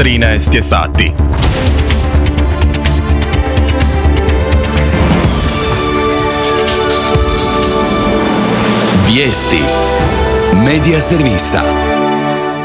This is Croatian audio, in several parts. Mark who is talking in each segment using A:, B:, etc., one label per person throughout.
A: 13 je sati.
B: Vijesti Medija servisa.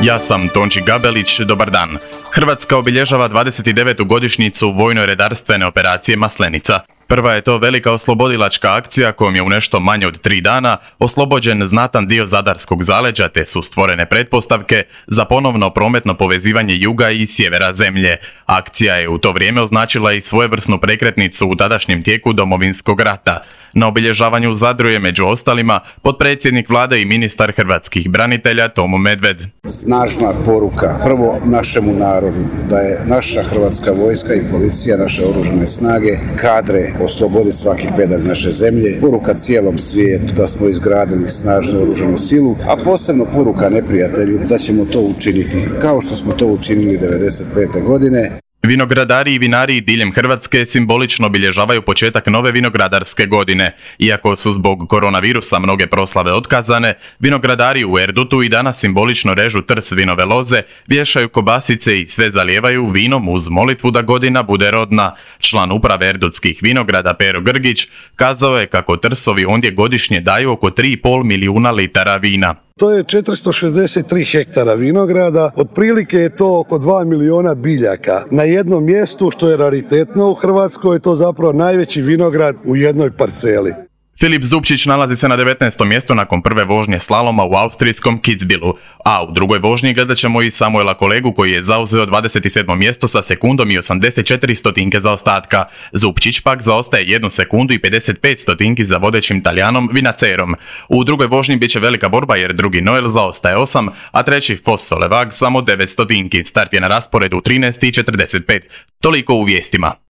A: Ja sam Tonči Gabelić, dobar dan. Hrvatska obilježava 29. godišnjicu vojno-redarstvene operacije Maslenica. Prva je to velika oslobodilačka akcija kojom je u nešto manje od 3 dana oslobođen znatan dio zadarskog zaleđa te su stvorene pretpostavke za ponovno prometno povezivanje juga i sjevera zemlje. Akcija je u to vrijeme označila i svojevrsnu prekretnicu u tadašnjem tijeku Domovinskog rata. Na obilježavanju u Zadru je među ostalima potpredsjednik vlade i ministar hrvatskih branitelja Tomo Medved.
C: Snažna poruka prvo našemu narodu da je naša hrvatska vojska i policija, naše oružane snage kadre osloboditi svaki pedalj naše zemlje. Poruka cijelom svijetu da smo izgradili snažnu oružanu silu, a posebno poruka neprijatelju da ćemo to učiniti kao što smo to učinili 1995. godine.
A: Vinogradari i vinari diljem Hrvatske simbolično obilježavaju početak nove vinogradarske godine. Iako su zbog koronavirusa mnoge proslave otkazane, vinogradari u Erdutu i danas simbolično režu trs vinove loze, vješaju kobasice i sve zalijevaju vinom uz molitvu da godina bude rodna. Član uprave erdutskih vinograda Pero Grgić kazao je kako trsovi ondje godišnje daju oko 3,5 milijuna litara vina.
D: To je 463 hektara vinograda, otprilike je to oko 2 milijuna biljaka. Na jednom mjestu, što je raritetno u Hrvatskoj, je to zapravo najveći vinograd u jednoj parceli.
A: Filip Zupčić nalazi se na 19. mjestu nakon prve vožnje slaloma u austrijskom Kitzbühelu, a u drugoj vožnji gledat ćemo i Samuela Kolegu koji je zauzeo 27. mjesto sa sekundom i 84 stotinke zaostatka. Zupčić pak zaostaje 1 sekundu i 55 stotinki za vodećim Talijanom Vinacerom. U drugoj vožnji bit će velika borba jer drugi Noel zaostaje 8, a treći Foss Solevag samo 9 stotinki. Start je na rasporedu u 13:45. Toliko u vijestima.